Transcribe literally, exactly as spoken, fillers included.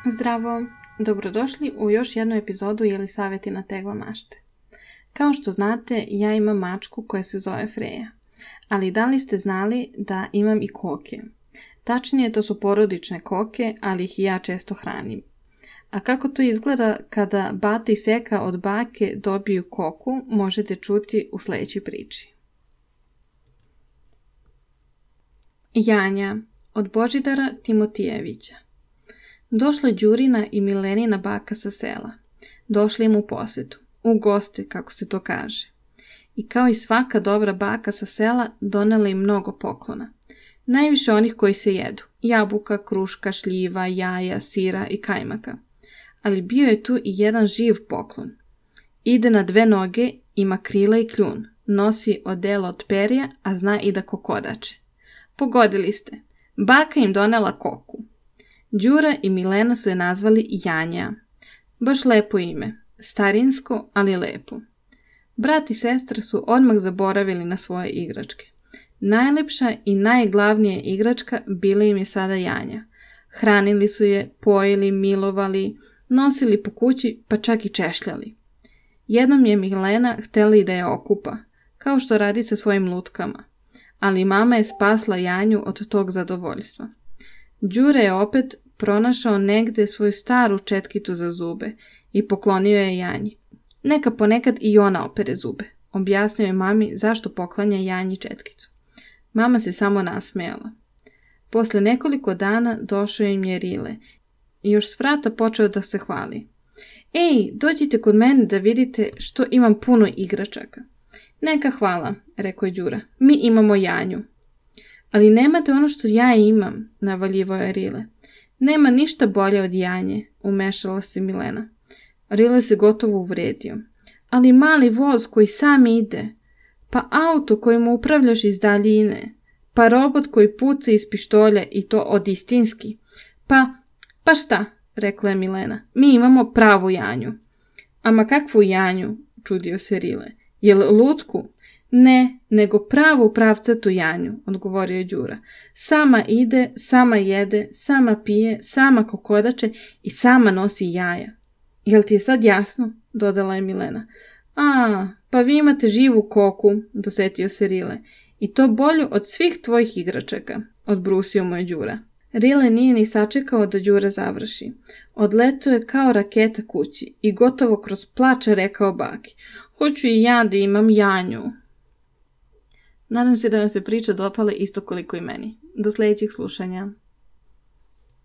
Zdravo! Dobrodošli u još jednu epizodu Jelisavetina tegla mašte. Kao što znate, ja imam mačku koja se zove Freja. Ali da li ste znali da imam i koke? Tačnije, to su porodične koke, ali ih i ja često hranim. A kako to izgleda kada bata i seka od bake dobiju koku, možete čuti u sljedećoj priči. Janja od Božidara Timotijevića. Došla Đurina i Milenina baka sa sela. Došli im u posjetu, u goste, kako se to kaže. I kao i svaka dobra baka sa sela, donela im mnogo poklona. Najviše onih koji se jedu, jabuka, kruška, šljiva, jaja, sira i kajmaka. Ali bio je tu i jedan živ poklon. Ide na dve noge, ima krila i kljun, nosi odelo od perja, a zna i da kokodače. Pogodili ste, baka im donela koku. Đura i Milena su je nazvali Janja. Baš lepo ime, starinsko, ali lepo. Brat i sestra su odmah zaboravili na svoje igračke. Najlepša i najglavnija igračka bila im je sada Janja. Hranili su je, pojili, milovali, nosili po kući, pa čak i češljali. Jednom je Milena htjela i da je okupa, kao što radi sa svojim lutkama. Ali mama je spasla Janju od tog zadovoljstva. Đure je opet pronašao negde svoju staru četkicu za zube i poklonio je Janji. Neka ponekad i ona opere zube. Objasnio je mami zašto poklanja Janji četkicu. Mama se samo nasmejala. Posle nekoliko dana došao im je Rile i još s vrata počeo da se hvali. Ej, dođite kod mene da vidite što imam puno igračaka. Neka hvala, rekao je Đura. Mi imamo Janju. Ali nemate ono što ja imam, navaljivao je Rile. Nema ništa bolje od Janje, umešala se Milena. Rile se gotovo uvredio. Ali mali voz koji sam ide, pa auto kojim upravljaš iz daljine, pa robot koji puca iz pištolja i to od istinski. Pa, pa šta, rekla je Milena, mi imamo pravu Janju. Ama kakvu Janju, čudio se Rile. Jel lutku? Ne, nego pravu pravcatu Janju, odgovorio je Đura. Sama ide, sama jede, sama pije, sama kokodače i sama nosi jaja. Jel ti je sad jasno? Dodala je Milena. A, pa vi imate živu koku, dosetio se Rile. I to bolju od svih tvojih igračaka, odbrusio mu je Đura. Rile nije ni sačekao da Đura završi. Odletao je kao raketa kući i gotovo kroz plač rekao baki. Hoću i ja da imam Janju. Nadam se da vam se priča dopala isto koliko i meni. Do sljedećih slušanja.